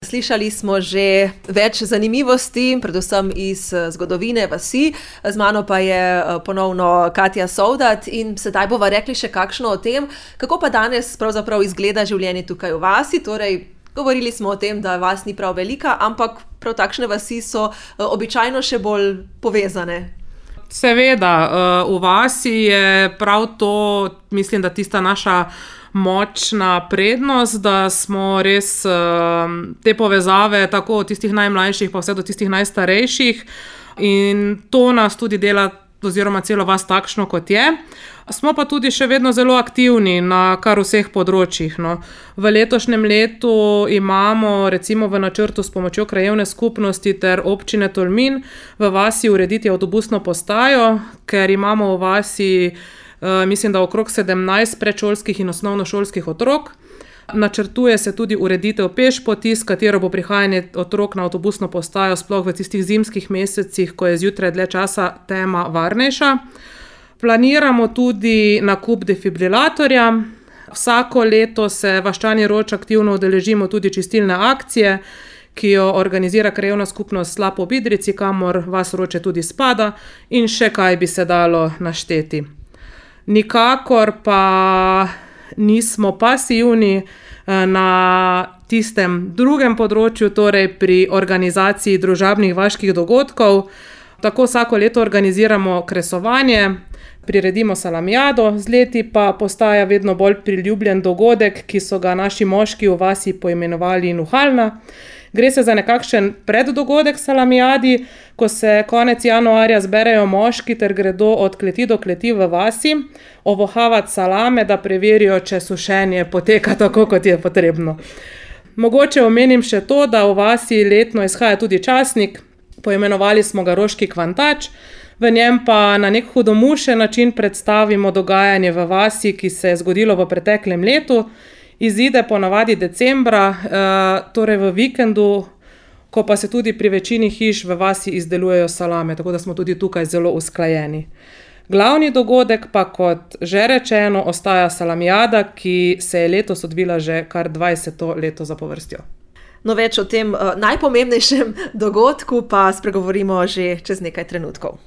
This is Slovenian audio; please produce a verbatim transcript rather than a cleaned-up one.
Slišali smo že več zanimivosti, predvsem iz zgodovine vasi. Z mano pa je ponovno Katja Sovdat in sedaj bova rekli še kakšno o tem, kako pa danes pravzaprav izgleda življenje tukaj v vasi. Torej, govorili smo o tem, da vas ni prav velika, ampak prav takšne vasi so običajno še bolj povezane. Seveda, v vasi je prav to, mislim, da tista naša močna prednost, da smo res te povezave tako od tistih najmlajših pa vse do tistih najstarejših in to nas tudi dela oziroma celo vas takšno, kot je. Smo pa tudi še vedno zelo aktivni na kar vseh področjih, no. V letošnjem letu imamo recimo v načrtu s pomočjo krajevne skupnosti ter občine Tolmin v vasi urediti avtobusno postajo, ker imamo v vasi mislim, da okrog sedemnajst predšolskih in osnovnošolskih otrok. Načrtuje se tudi ureditev pešpoti, s katero bo prihajanje otrok na avtobusno postajo sploh v tistih zimskih mesecih, ko je zjutraj dlje časa tema, varnejša. Planiramo tudi nakup defibrilatorja. Vsako leto se vaščani Roč aktivno udeležimo tudi čistilne akcije, ki jo organizira krajevna skupnost Slap ob Idrijci, kamor vas Roče tudi spada, in še kaj bi se dalo našteti. Nikakor pa nismo pasivni na tistem drugem področju, torej pri organizaciji družabnih vaških dogodkov. Tako vsako leto organiziramo kresovanje, priredimo salamijado, z leti pa postaja vedno bolj priljubljen dogodek, ki so ga naši moški v vasi poimenovali Nuhalna. Gre se za nekakšen preddogodek salamijadi, ko se konec januarja zberejo moški ter gredo od kleti do kleti v vasi ovohavati salame, da preverijo, če sušenje poteka tako, kot je potrebno. Mogoče omenim še to, da v vasi letno izhaja tudi časnik, poimenovali smo ga Roški kvantač, v njem pa na nek hudomušen način predstavimo dogajanje v vasi, ki se je zgodilo v preteklem letu. Izide ponavadi decembra, torej v vikendu, ko pa se tudi pri večini hiš v vasi izdelujejo salame, tako da smo tudi tukaj zelo usklajeni. Glavni dogodek pa, kot že rečeno, ostaja salamijada, ki se je letos odvila že kar dvajseto leto zapovrstjo. No, več o tem najpomembnejšem dogodku pa spregovorimo že čez nekaj trenutkov.